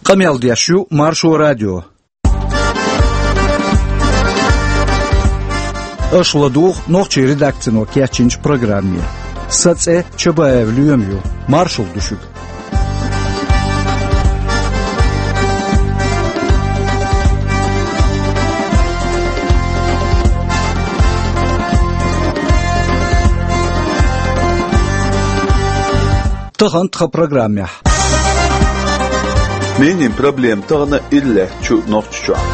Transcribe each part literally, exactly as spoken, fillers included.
Къамел деш ю Маршо радио. Аша ладугӀу нохчийн редакцино кечйинчу программе. Сан цӀе Чабаев Лоьма ю. Маршалла ду шуьга. Тахана тхан программехь. Минийн проблема тахана ира лаьтташ ю Нохчийчохь.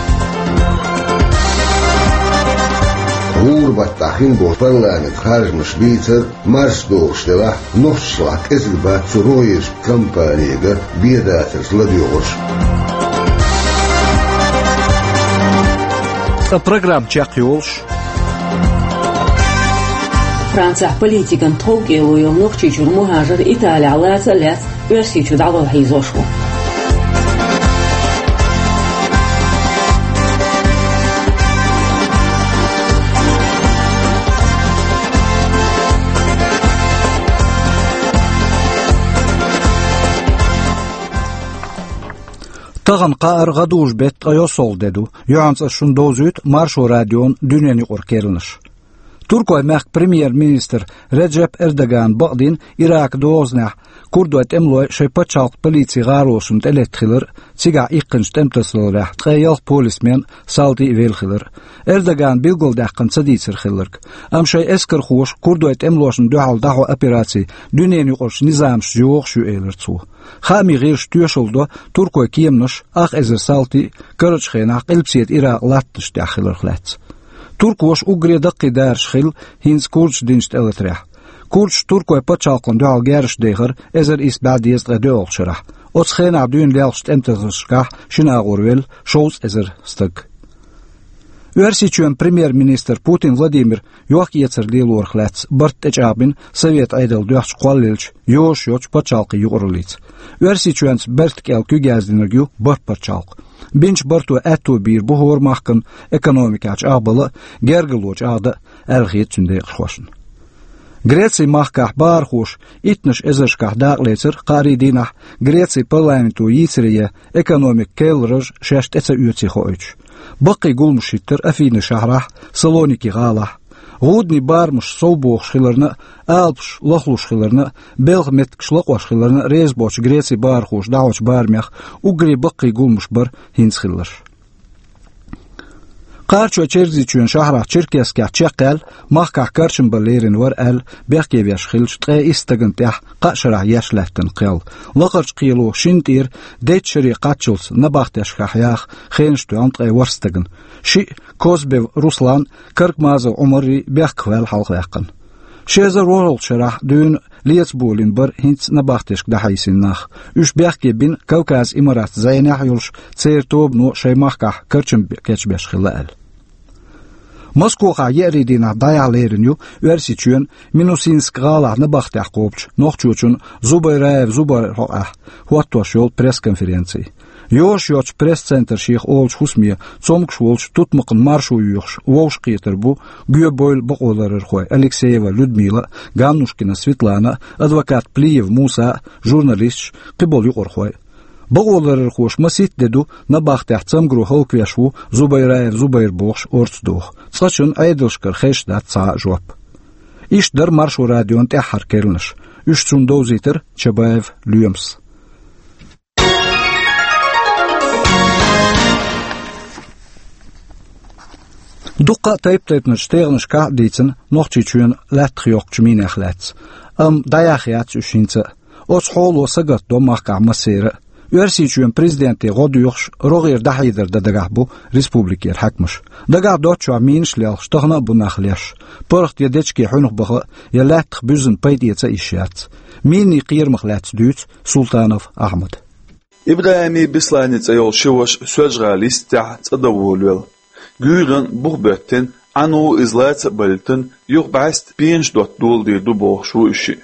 ГӀуран баттахь хин болу парламентан харжамаш бийцар марс догӀуш делахь, нохчашлахь кӀезиг бац цу рогӀерчу компанега бен дацарца ладоьгӀурш. Ткъа программа чекхйолуш. Францехь политикан тховкӀело йолу Нохчийчуьра мухӀажар Италехь лаца а лаьцна, Оьрсийчу дӀагӀо хьийзош ву. Тахана кхаара гӀадужу беттан ткъе йоьсналгӀа де ду. Юьхьанца ас шуна довзуьйту Маршо радион дуьненан юкъара керланаш. Туркойн мехкан премьер-министр Реджеп Эрдогана бакъдина Иракан дозанехь курдойн тӀемалой шайн пачхьалкхан полицин гӀаролшна тӀелетта хилар а, цигахь иккхинчу тӀематасадаларехь ткъе ялх полисмен, салти а велла хилар а. Эрдогана билгалдаьккхина ца дийцира хилларг. Амма шайн эскархоша курдойн тӀемалошна дуьхьал дӀахьо операци дуьненан юкъарчу низамашца йогӀуш ю, элира цо. Хаамийн гӀирсаша тоьшалла до туркойн кеманаш, ах эзар салти а, карарчу хенахь Къилбаседа Иракъан латтанаш тӀехь хиларх лаьцна. Туркоша уггаре даккхий дараш хилла хӀинца курдашна динчу тӀелатарехь. Курдаша туркойн пачхьалкхана дуьхьал герзаш дехира эзар исс бӀе дезткъе доьалгӀачу шарахь. Оцу хенахь дуьйна лелхачу тӀематасадаларшкахь шина агӀор велла шовзткъа эзар стаг. Оьрсийчоьнан премьер-министр Путин Владимира йохк-эцар лелорах лаьцна барт тӀечӀагӀбина Совет Ӏедал доьхначу кхоллаелча йозуш йоцчу пачхьалкхийн юкъараллица. Оьрсийчоьнца барта кӀел куьг яздинарг ю бархӀ пачхьалкх. Бинчу барто аьтто бийр бу хӀора махкана экономикехь чӀагӀбала а, гергарло чӀагӀдан а, аьлла хета цуьнан декъашхошна. Грецин махкахь бахархоша иттаннаш эзаршкахь дакъалецира кхаарин дийнахь Грецин парламенто йийцаре ян экономикан керлараш шаьш тӀе ца оьций хоуьйтуш. Баккхий гуламаш хӀиттира Афинин шахьарахь, Салоники гӀалахь. ГӀудний барамаш совбохуш хиларна а, алапаш лахлуш хиларна а, белхан меттигаш лакъош хиларна а реза боцчу Грецин бахархоша дӀахьочу барамех уггаре баккхий гуламаш бара хӀинца хилларш. Кхарачой Чергазийчоьнан шахьарахь Черкесскехь чекхъяьлла, махкахь карчам бан лерина вара аьлла, бехке веш хиллачу ткъе исс стагана тӀехь кхаа шарахь еш лаьттина кхел. Лакхарчу кхело шинна тӀера дейтта шаре кхаччалц набахтешкахь яха хенаш тоьхна ткъе ворхӀ стагана. Шиъ, Козбев Руслан, Каркмазов Ӏумаррий, бехках ваьлла хьалхаваьккхина. Ши эзар ворхӀалгӀачу шарахь дуьйна леца болийна бара хӀинца набахтешка дӀахьийсина нах. Уьш бехке бина Кавказ Имаратийн зӀенехь йолуш церан тобано шайн махкахь карчам кечбеш хилла аьлла. Москохахь еарин дийнахь дӀаяхьа лерина ю Оьрсийчоьнан Минусинск гӀалахь набахтехь кхобучу нохчочун Зубайраев Зубайра хьокъехь хӀоттош йолу пресс-конференци. Йозуш йоцчу пресс-центр шех олучу хӀусаме цомгуш волчу тутмакхана маршо йоьхуш вовшахкхетар бу гоьбевлла бакъоларъярхой Алексеева Людмила а, Ганнушкина Светлана а, адвокат Плиев Муса а, журналисташ а, кхиболу юкъархой а. Бакъоларъярхоша масийтта де ду набахтехь цамгаро хӀаллаквеш ву Зубайраев Зубайр бохуш орца доху. Цкъачунна Ӏедалшкара хезаш дац цхьа а жоп. Иштта дара Маршо радион тӀаьххьара керланаш. Уьш цунна довзийтира Чабаев Лоьмас. Дуккха а тайп-тайпанчу тӀегӀанашкахь а дийцина Нохчийчоьнан лаьттах йоккхучу минех лаьцна. Амма дӀаяхьа яц уьш хӀинца а. Оцу хьоло сагатдо махкахь массеран а. Оьрсийчоьнан президенте гӀо доьхуш, рогӀера дӀахьедар дан дагахь бу республикера хьаькамаш. Дагахь доцчохь минаш а лелхаш, тахана а бу нах леш. ПаргӀат я дечиге хьуьнах баха а, я лаьттах буьззина пайда эца а йиш яц. Минийн кхерамах лаьцна дуьйцу Султанов Ахьмада. ИбрахӀиман Бесланан цӀе йолу ши ваша Соьлжа-ГӀалин йистехь цӀа дан волавелла. Гуьйранна бух боьттина, Ӏану иза лаца а балийтина, юха бӀаьста пенаш дотта доладийр ду бохуш ву уьш шиъ.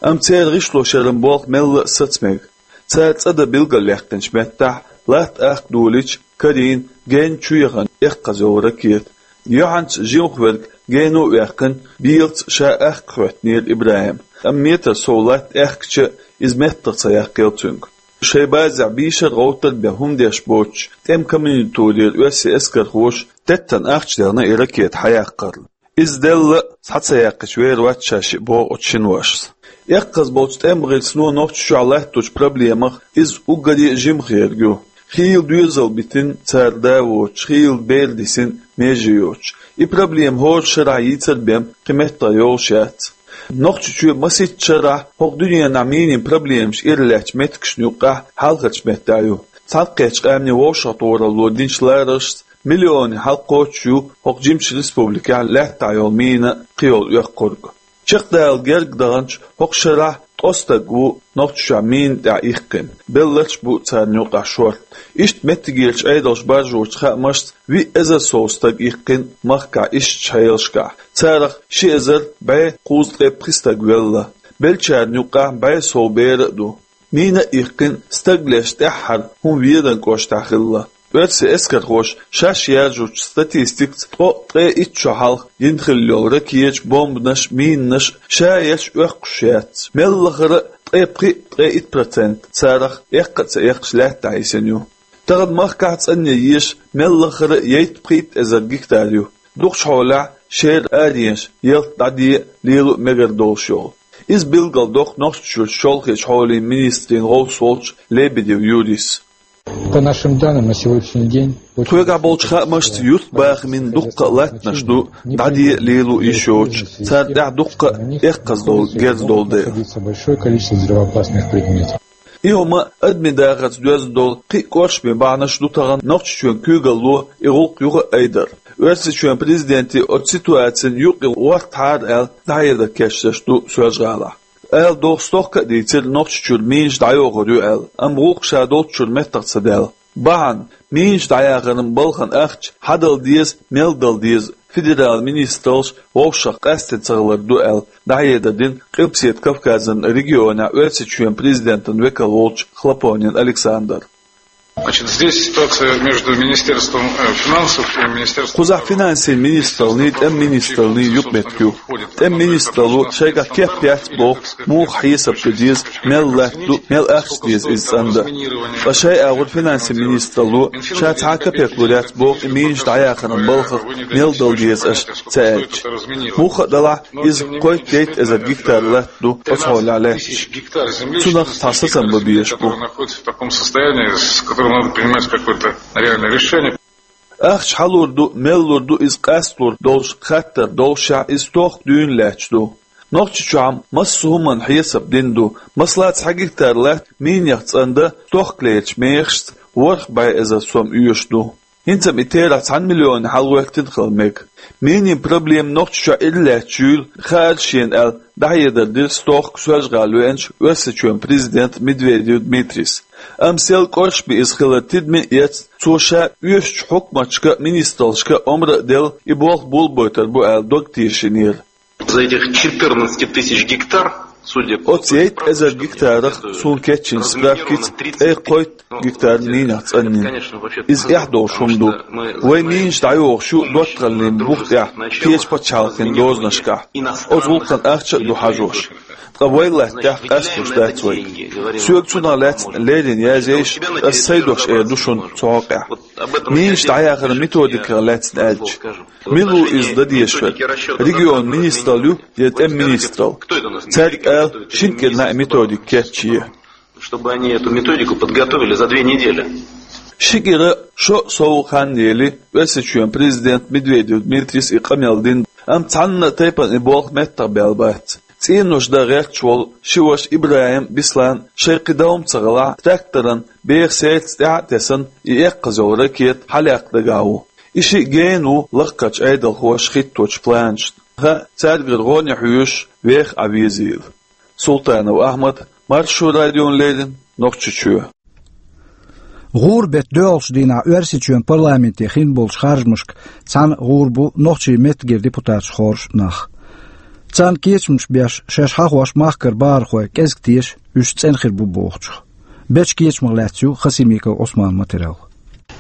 Амма церан гӀишлошъяран болх мелла а саца мега. Цара цӀа дан билгалъяьккхинчу меттехь, латта ахка долийча, карийна, генна чу яхана, эккхаза йолу ракета. Юьхьанца жимха верг гено а ваьккхина, белаца ша ахка хӀоьттинера ИбрахӀима. Амма метр сов латта аьхкича а, иза меттах ца яккхийла цуьнга. Шайн базехь бийшар а гӀовттар а бен хӀума деш боцуш, тӀеман комендатурера оьрсийн эскархоша теттана ахча дехна и ракета хьаяккхарна. Иза делла а, схьа ца яьккхича вер вац ша шиъ, боху оцу шиношца. Эккхаза болчу тӀеман гӀирсано Нохчийчохь латточу проблемах иза уггаре а жимха ерг ю. Хийла доьзал битина цара да а воцуш, хийла бер дисина меже йоцуш. И проблема хӀора шарахь йийцар а бен кхин меттах йолуш яц. Нохчийчоь масийтта шарахь хӀокху дуьненахь минийн проблемаш иралаьцначу меттигашна юккъехь хьалхарчу меттехь ю. Цхьаьнакхеттачу къаьмнийн вовшахтохаралло динчу лараршца, миллионийн хьалакхочуш ю хӀокху жимачу республикехь лаьттахь йолу мина а, кхийолу оьхкург а. Чекхдала герга даханчу хӀокху шарахь ткъа стаг ву Нохчийчохь мина тӀехь иккхина, белларш а бу царна юкъахь шорта. Иштта меттигерчу Ӏедалша баржочу хаамашца, виъ эзар сов стаг иккхина махкахь ишттачу хьелашкахь. Царах ши эзар бӀе кхузткъе пхи стаг велла. Беллачарна юккъехь бӀе сов бер а ду. Мина а иккхина, стаг леш тӀаьххьара хӀума Веданан кӀоштахь хилла. Оьрсийн эскархоша шаьш яржучу статистикаца, ткъе итт шо хьалха йина хилла йолу ракеташ, бомбанаш, минанаш ша ерш оьккхуш яц. Мел лахара а ткъе пхиъ, ткъе итт процент царах эккха а ца эккхаш лаьттахь йисина ю. Тахана махкахь цӀанъян еша мел лахара а ейттан-пхийтта эзар гектар ю. Дукхачу хьолехь шера аренаш ялта дӀаден а, лело а мегар долуш йолу. Иза билгалдоккху Нохчийчуьра шолгӀачу хьолин министрийн гӀовс волчу Лебедев Юрис. По нашим данным, на сегодняшний день очень... Тхоьгахь болчу хаамашца, юьртбахамийн дуккха а латтанаш ду дӀаден а, лело а йиш йоцуш, царна тӀехь дуккха а эккхаза долу герз долу дела. Большое количество взрывоопасных предметов. И хӀума адамийн дахарца доьзна долу кхин а кӀоршаме бахьанаш ду тахана Нохчийчоьнан куьйгалло и гӀуллакх юха а айдар. Оьрсийчоьнан президенте оцу ситуацина юкъа ворхӀ тхьара аьлла, дӀахьедар кечдеш ду Соьлжа-ГӀалахь. Ала догӀу стохка а дийцира Нохчийчуьра минаш дӀайохур ю аьлла, амма гӀуллакх ша долччуьра меттах ца даьлла. Бахьана, минаш дӀаяхаран балхан ахча хьан дала деза, мел дала деза, федералан министраллаш вовшах къаьсттина ца хилар ду аьлла, дӀахьедар дина Къилбаседа Кавказан регионехь Оьрсийчоьнан президентан векал волчу Хлопонин Александра. Значит, здесь ситуация между Министерством, э, финансов и Министерством... Кхузахь финансийн министраллий, тӀеман министраллий юкъаметтиг ю. ТӀеман министралло шайгахь кеп яц боху, муха хьесап дан деза, мел латта ду, мел ахча деза иза цӀандан. Ткъа шайн агӀор финансийн министралло ша цхьа а капек лур яц боху и минаш дӀаяхаран балхах мел дала деза аша ца аьлча. Муха а далахь, иза кхойтта-дейтта эзар гектар латта ду оцу хьолехь лаьтташ. Цунах цхьа сацам бан безаш бу. Находится в таком состоянии, с которым надо принимать какое-то реальное решение. Ахча хьан лур ду, мел лур ду иза къасталур долуш хаттар доллушехь, иза стохка дуьйна лаьтташ ду. Нохчийчохь-м массо а хӀуманна хьесап дина ду. Масала, цхьа гектар латта минех цӀандан стохкалерчу мехашца ворхӀ бӀе эзар сом оьшуш ду. ХӀинца-м и терахь цхьана миллионна хьалгӀоьттина хила мега. Минийн проблема Нохчийчохь иралаьцча юйла хаар шена аьлла, дӀахьедар дира стохка Соьлжа-ГӀала веанчу Оьрсийчоьнан президента Медведев Дмитрийс. Амма сел кӀоршаме иза хилар тидаме а эцна, цо ша оьшучу хьукматашка а, министраллашка а омра а делла, и болх болабойтур бу аьлла дог тешийнера. За этих четырнадцать тысяч гектар, судя по... Оцу ейтта эзар гектарах, суна кечйинчу справкица, ткъе кхойтта гектар минех цӀанйина. Иза эхь долуш хӀума ду. Вай минаш дӀайохуш ю доттагӀаллин бух тӀехь, кхечу пачхьалкхийн дозанашкахь. Оцу гӀуллакхна ахча а ду хьажош. Ткъа вай латта тӀехь къасталуш дац вайга. Соьга цунах лаьцна леррина язъе йиш, ас сайн дош эр ду шуна цу хьокъехь. Минаш дӀаяхаран методиках лаьцна аьлча, мила ву иза дан дезаш верг? Регионан министралла ю я тӀеман министралла? Цаьрга ала, шина кӀира неӀ методика кечъе, чтобы они эту методику подготовили за две недели. Ши кӀира шо а сов хан ели, Оьрсийчоьнан президента Медведев Дмитрийс и къамел дина, амма цхьанна а тайпана и болх меттах баьлла бац. ЦӀенош дан гӀерташ волу ши ваша ИбрахӀим а, Беслан а шайн кхин дов-м ца хилахь, тракторан беха сердца тӀаьхьа а тесна, и эккхаза йолу ракета хьалаяккха дагахь ву. И шиъ гена ву лакхарчу Ӏедалхоша хӀитточу планашна. Хаа, цаьргара гӀо а хьоьжуш, веха Ӏан везийла. Султанов Ахьмад, Маршо радиона леррина, Нохчийчоь. ГӀуран беттан доьалгӀачу дийнахь Оьрсийчоьнан парламенте хин болчу харжамашка цхьаьна гӀур бу нохчийн меттигера депутаташ хоржуш нах. Царна кечамаш беш, шаьш хьахош махкара бахархой кӀезиг теша, уьш цӀена хир бу бохучух. Бечу кечамах лаьцна ю Хасимиков Ӏусманан материал.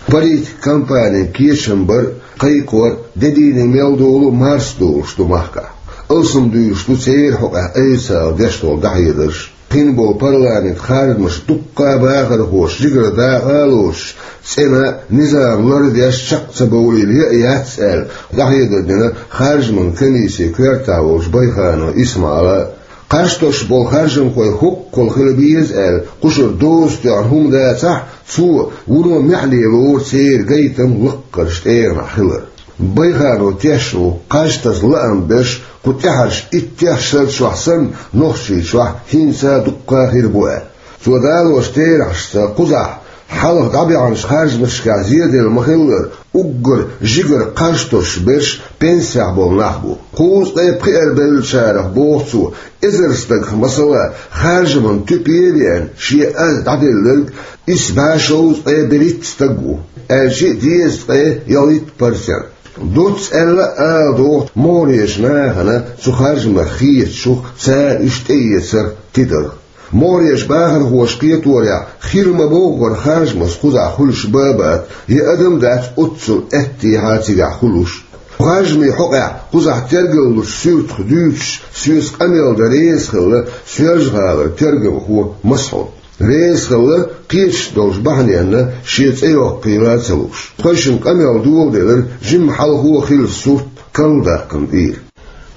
Политик компанин кечам бар, кхайкхор, де дийне мел долу марс долуш ду махкахь. Алсам дуьйлуш ду церан хьокъехь официалан деш долу дӀахьедарш. Кхин болу парламент харжамаш дуккха а бахархоша жигара дакъа а лоцуш, цӀена низам лардеш чекх ца бовлийла яа яц аьлла, дӀахьедар дина харжаман комиссин коьртехь волчу Байханов Исмаила. Кхаж тосуш болу харжамхой хӀоккхул хила беза аьлла, кхушара доза тоьхна хӀума дацахь, цо вуно маьхьале лору церан гайтам лаккхарчу тӀегӀанехь хилар. Байханов тешна ву, кхаж таса лаам берш кху тӀаьхьарчу иттех шарчохь санна, Нохчийчохь хӀинца а дуккха а хир бу аьлла. Цо далочу терахьашца, кхузахь хьалха дӀабаьхьначу харжамашкахь зеделла ма-хиллара, уггар жигара кхаж тосуш берш пенсехь болу нах бу. Кхузткъе пхиарбевллачарах, боху цо, эзар стагах, масала, харжаман туьпе а веана, шен аз дӀаделларг исс бӀе шовзткъе берхӀитта стаг ву, аьлча а дезткъе ялхитта процент. Доцца аьлла а ала догӀу могӀарерчу нахана цу харжамах хетачух, цара уьш тӀеэцарх тидарх. МогӀарерчу бахархоша кхеторехь, хир ма-бовххара харжамаш кхузахь хуьлуш бан а бац, я адам а дац оццул аьттехьа цигахь хуьлуш. Харжамийн хьокъехь кхузахь тергаллучу суьртах дуьйцуш, соьца къамел дан реза хилла Соьлжа-ГӀалара тергамхо Масхьуд. Реза хилла, кхеташ долчу бахьаненна шен цӀе йоккхийла а ца лууш. Тхойшинна къамел доладелира жимма хьалхо а хилла сурт карладаккхарна тӀера.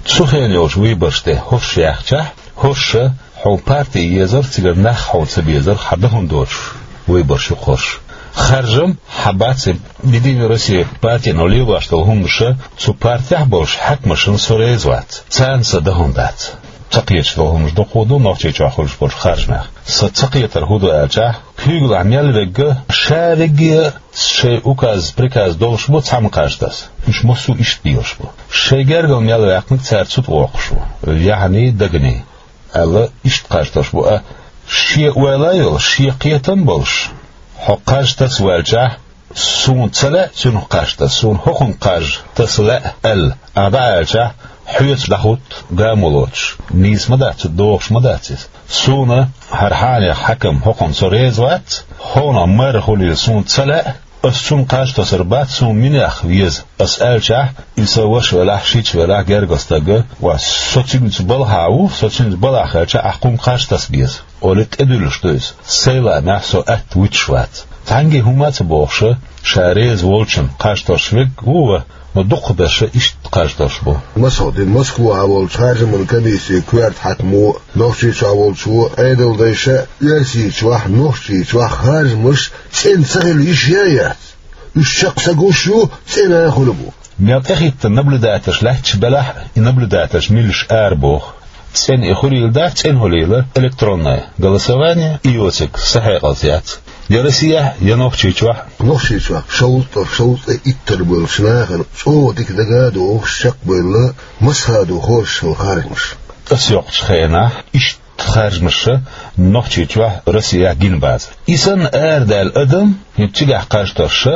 Цу хенахь йолчу выбораш тӀе хӀорш яьхчахь, хӀорш а хьо парти езарх, цигара нах хьо ца безарх хьан дан хӀума доцуш выбораш ю-кх хӀорш. Харжам хьан бац, Единая Россия партино лелош долу хӀуманаш а цу партехь а болуш хьаькамашна со реза вац, царна сан дан хӀума дац. Ца кхеташ долу хӀуманаш дукха ду Нохчийчохь хуьлуш болчу харжамех. Сан ца кхетар хӀун ду аьлчахь, куьйгалахь мел верг а, ша верриге а шайн указ, приказ долуш бу цхьамма кхаж таса. Уьш массо а иштта лелаш бу. Шайн гергара мел ваьккхинарг цара цу тӀе воккхуш ву, яхьаний, даганий, аьлла, иштта кхаж тосуш бу. А шен ойла а йолуш, шен кхетам а болуш, хьо кхаж таса ваьлчахь, суна ца лаьа цуьнах кхаж таса, суна хӀокхунна кхаж таса лаьа аьлла, ахь дӀааьлчахь, хьоьца дӀахӀутту гамо лоцуш, нийса ма дац, догӀуш ма дац иза. Суна хӀара хьенехан хьаькам, хӀокхунна со реза вац, хӀокхунах марра хуьлийла суна ца лаьа, ас цунна кхаж тосур бац, суна минех веза ас аьлчахь, и сан ваша велахь, шича велахь, гергара стаг а, ва, со цуьнца балхахь ву, со цуьнца балхахь хилча, ахь кхунна кхаж таса беза олий, тӀедуьллуш ду иза. Сайн лаамехь со атта вуьтуш вац. Цхьаьнгге хӀума а ца бохуш, ша реза волчунна кхаж тосуш верг а ву ван, но дукхахберш иштта кхаж тосуш бу. Масхьуд, Москвахь волчу харжаман комиссин коьрта хьаькамо, Нохчийчохь волчо Ӏедалдайша, Оьрсийчохь, Нохчийчохь харжамаш цӀена ца хила йиш яц. Уьш чекх ца гуш ю, цӀена а хуьлу бу. Мел тӀехӀиттина наблюдательш лаьтташ белахь а, и наблюдательш милаш ара боху. ЦӀена и хуьлийла дац, цӀена хуьлийла электронное голосование, и йоцург сан хьекъалца яц. Я Россехь, я Нохчийчохь. Нохчийчохь шовзткъа, шовзткъе иттар болчу нахана чӀогӀа дика дага а догӀуш, чекхбевлла, массаха а ду хоржуш йолу харжамаш. Ас йоккхучу хенахь иштта харжамаш Нохчийчохь, Россехь гина бацара. И санна арадаьлла адам, хӀинца цигахь кхаж тосуш,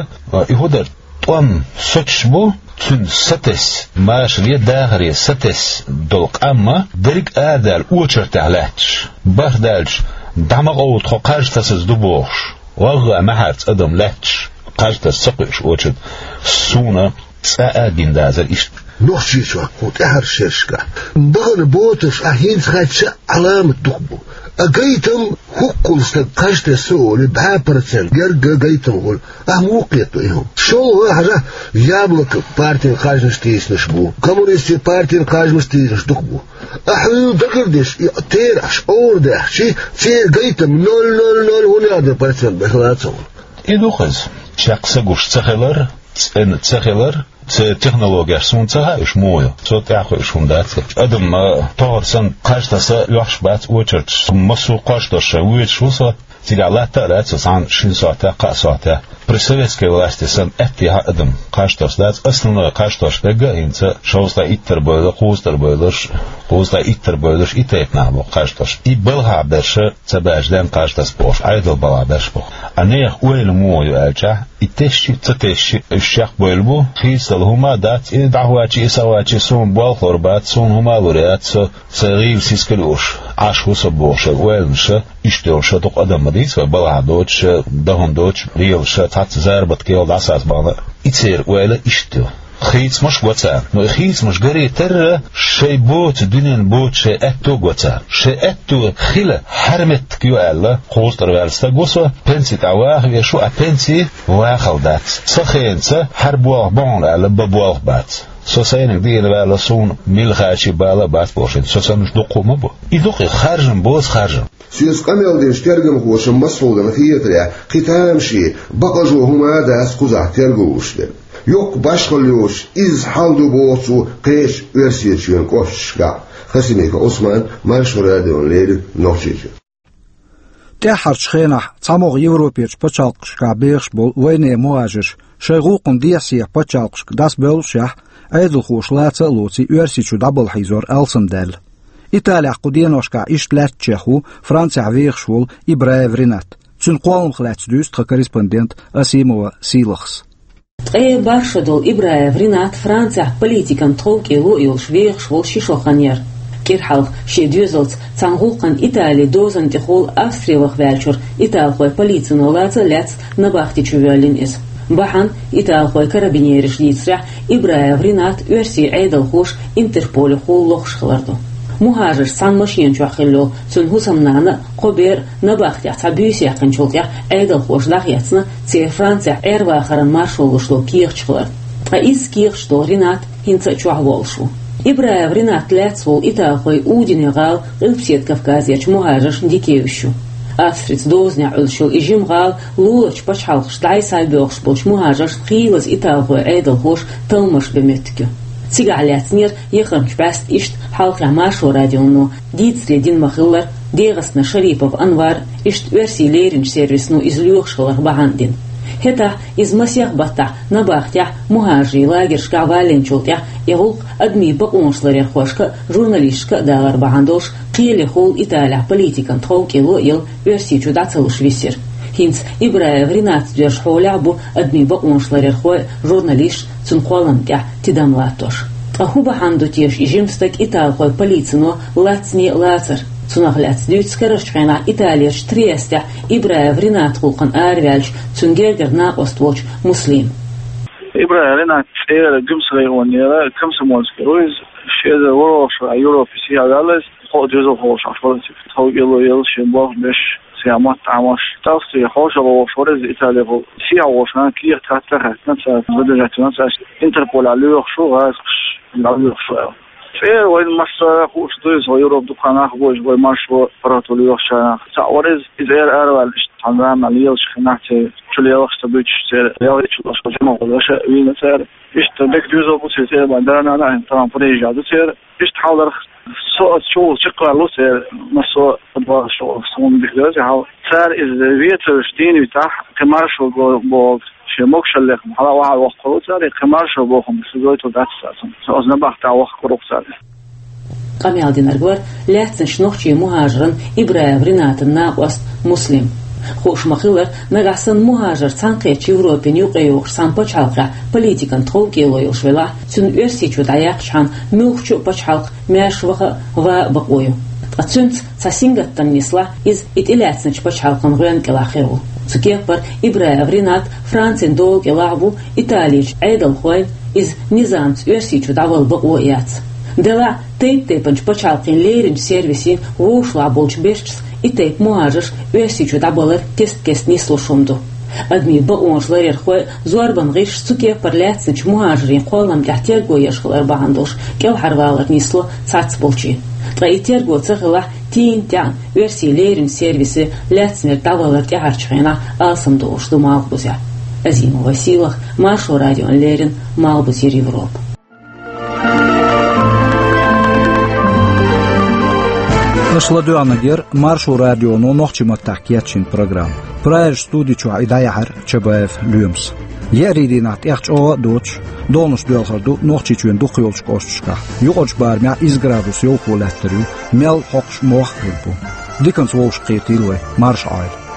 и хӀун дара, тӀом соцуш бу, цуьнан сатесна, машаре, дахаре сатесна долу къам а дерриг а арадаьлла очередехь лаьтташ. БархӀ даьлча, дӀа ма къовла, тхо кхаж тасаза ду бохуш, вагӀгӀа маьхьарца адам лаьтташ, кхаж таса ца кхуьуш очередь. Суна цкъа а гина дацара иштта. Нохчийчохь кху тӀаьхьарчу шерашкахь бахана боташ, ахь хӀинца хаьттича, Ӏаламат дукха бу. А гайтам, хӀоккхул стаг кхаж тесна олий, бӀе процент герга гайтам хуьлу. Ахь муха кхетадо и хӀума? ШолгӀа хьажахь, Яблоко партин кхажанаш тийсинарш бу, коммунистийн партин кхажанаш тийсинарш дукха бу. Ахь хьуьйла дагардеш, и терахьаш охьадаьхчи, церан гайтам ноль ноль ноль хӀун яздо процент бен хила а ца хуьлу. И ду-кх иза. Чекх ца гуш ца хилар, цӀена ца хилар, церан технологеш суна ца хаьа, уьш муха ю. Цо тӀаьхьа кхуьуш хӀума дац. Адам, а, тохара санна кхаж таса лоьхуш бац очередаш. Массо а кхаж тосуш шайн воьдуш ву со. Цигахь латта а лаьцна со цхьана шина сохьтехь, кхаа сохьтехь. При советской власти санна аьттехьа адам кхаж тосуш дац. Основной кхаж тосуш дерг а хӀинца шовзткъе иттар бевлла, кхузткъа тӀера бевлларш, кхузткъе иттар бевлларш и тайпа нах бу кхаж тосуш. И балхахь берш ца баьржа ден кхаж таса бохуш, Ӏедал балхахь берш бу. А нехан ойла муха ю аьлчахь, и тесчи а, ца тесчи а, уьш чекхбевлла бу, хийцадала хӀума а дац, и дӀахӀоьттича, и схьахӀоьттича, суна болх лур бац, суна хӀума а лур яц, со сайн гӀийла сискал а лууш Ӏаш ву со бохуш, шайн ойланаш а, иштта йолуш а дукха адам ма дийца вай, балхахь доцуш а, дан хӀума доцуш а, лелаш а, цхьацца заработкел дӀасацбахана а. И церан ойла иштта ю. Хийцамаш го царна. Но и хийцамаш гаре терра шайн боцу, дуьненна боцу шайн аьтто го царна. Шайн аьтто хила хьаьрметтиг ю аьлла, кхузткъара ваьлла стаг ву со, пенси тӀе ваха веш ву, а пенси вахал дац. Сан хенаца хьара болх бу хьуна аьлла, бан болх бац. Со сайниг дийна ваьлла, суна милла хачи бала а бац бохуш. Со саннаш дуккха ма бу. И дукха харжам боцу харжам. Соьца къамел динчу тергамхоша массо а хетарехь, кхин тамашийна, бакъ а жо хӀума а дац кхузахь терго луш дерг. Йоккха башхалла йоцуш, изза хьал ду боху цо кхечу Оьрсийчоьнан кӀошташкахь. Хасимиков Ӏусман, Маршо радиона леррина, Нохчийчоь. ТӀаьххьарчу хенахь цхьамогӀа Европерчу пачхьалкхашкахь бехаш болу вайнехан мухӀажарш шайн гӀуллакхна дехьа-сехьа пачхьалкхашка дӀасабевллашехь, Ӏедалхоша лаца а лоций, Оьрсийчу дӀабала хьийзор алсамдаьлла. Италехь кху деношкахь иштта лаьттачех ву Францехь вехаш волу Ибраев Ринат. Цуьнан кхолламах лаьцна дуьйцу тхан корреспондент Асимова Сийлахьас. Ткъе бархӀ шо долу Ибраев Ринат Францехь политикан тховкӀело а йолуш вехаш волу ши шо хан яра. КӀира хьалха шен доьзалца цхьана гӀуллакхана Итали дозанна тӀехула Австри ваха ваьллачуьра италхойн полицино лаца а лаьцна набахти чу воьллина иза. Бахьана, италхойн карабинераш дийцарехь, Ибраев Ринат оьрсийн Ӏедалхоша Интерполехула лохуш хилар ду. МухӀажарш цхьана машена чохь хилла йолу цуьнан хӀусамнана а, кхо бер а набахтехь цхьа буьйса яьккхинчул тӀаьхьа Ӏедалхоша дӀахецна, церан Францехь Ӏер-вахаран маршо луш долу кехаташ хилар. Ткъа изза кехаташ долу Ринат хӀинца а чохь волуш ву. Ибраев Ринат лаьцна волу италхой Удине гӀала Къилбаседа Кавказерчу мухӀажаршна дика евзаш ю. Австрица дозанехь Ӏуьллуш йолу и жима гӀала луларчу пачхьалкхашка дӀай-схьай боьлхуш болчу мухӀажаршна хийлаза италхойн Ӏедалхоша талламаш бен меттиг ю. Цигахь лаьцнера яхархочу бӀаьста иштта хьалххе Маршо радионо дийцаре дина ма-хиллара, ДегӀастана Шарипов Анвар иштта оьрсийн леринчу сервисано иза лоьхуш хиларх бахьана дина. ХӀетахь иза масех баттахь набахтехь мухӀажарийн лагершкахь валлинчул тӀаьхьа и гӀуллакх адамийн бакъонаш ларъярхошка а, журналисташка а далар бахьана долуш, кхелехула Италехь политикан тховкӀело а елла, Оьрсийчу дӀа ца луш висира. ХӀинца Ибраев Ринатца доьзначу хьолехь а бу адамийн бакъонаш ларъярхой а, журналисташ а цуьнан кхолламна тӀехь тидам латтош. Ткъа хӀун бахьана ду теша и жима стаг италхойн полицино лацане а лацар? Цунах лаьцна дуьйцу карарчу хенахь Италерчу Триестехь Ибраев Ринатан гӀуллакхана араваьллачу, цуьнан гергара накъост волчу Муслима. Ибраев Ринат цӀера Гуьмсан районера, Комсомольский ву иза, ши эзар ворхӀалгӀачу шарахь Европе сехьа ваьлла иза, кхо а доьзалхо волуш Ӏаш вара, тховкӀело елла шен болх беш, сайн мотт Ӏамош. Тахсти хьошалгӀа волуш вара иза Италехула. Сехьа волчу нахана кехат хатта хаьттина цара, задержать вина цара, Интерполехь лоьхуш ву, гӀазкхаша дӀалоьхуш ву аьлла. ЦӀера вайна массара а хууш ду иза, вай Европа дукха нах бу иза, вай маршо паргӀато лоьхучарах. Цхьаъ вара иза, иза ара араваьлла, иштта цхьана заманахь лелаш хиннахь, церан чу лелахаш ца буьтуш, церан лелхийчу лаша жимахула лаша вийна цара. Иштта дика доьзал бу церан, церан бан да-нана а, хӀинца тахана Парижехь ду церан. Иштта хьалдарх, со оцу чухула чекхваьлла ву церан, массо а подвалаш чу суна дика деза хьал. Цара иза вецарш дийна витахь, кхин маршо бо-, бохург, шен могушаллех хьала а охьа воккхур ву цара, кхин маршо бохург, шу гойтур дац цара цунна. Со оцу набахтехь вахкур ву цара. Къамел динарг вара лаьцначу нохчийн мухӀажаран Ибраев Ринатан накъост Муслим. Хууш ма-хиллара, нагахь санна мухӀажар цхьаьнакхеттачу Европина юкъайогӀуш цхьана пачхьалкхехь политикан тховкӀело йолуш велахь, цуьнан Оьрсийчу дӀаяьккхачхьана муьлххачу а пачхьалкхан маьрша ваха а, ван а бакъо ю. Ткъа цуьнца цхьа сингаттам нислахь, иза и тӀелаьцначу пачхьалкхан гӀоьнна кӀелахь хир ву. Цу кеппара Ибраев Ринат Францин дола кӀелахь а ву, Италерчу Ӏедалхойн иза низамца Оьрсийчу дӀавала бакъо а яц. Делахь а, тайп-тайпанчу пачхьалкхийн леринчу сервисийн вовшахтоьхна болчу бешчас и тайпа мухӀажарш Оьрсийчу дӀабалар кест-кеста нислуш хӀума ду. Адамийн бакъонаш ларъярхой а, зорбан гӀирсаш а цу кеппара лаьцначу мухӀажарийн кхоллам тӀехь терго еш хилар бахьана долуш кӀелхьарвалар нисло цхьацболчийн. Ткъа и терго ца хилахь, тийна-таьӀна оьрсийн леринчу сервисе лаьцнера дӀавалар тӀаьхьарчу хенахь алсамдолуш ду Малхбузехь. Азимова Сийлахь, Маршо радиона леррина, Малхбузера Европа. Аша ладоьгӀнарг яра Маршо радионо нохчийн маттахь кечйина программа. Прагерчу студи чохь и дӀаяьхьира Чабаев Лоьмас. Еарин дийнахь тӀех чӀогӀа а доцуш, догӀанаш доьлхур ду Нохчийчоьнан дукхах йолчу кӀошташкахь. Юкъарчу барамехь иза градус йовхо лаьттар ю, мел хьокхуш мох а хир бу. Диканца вовшахкхетийла вай, марша Ӏойла.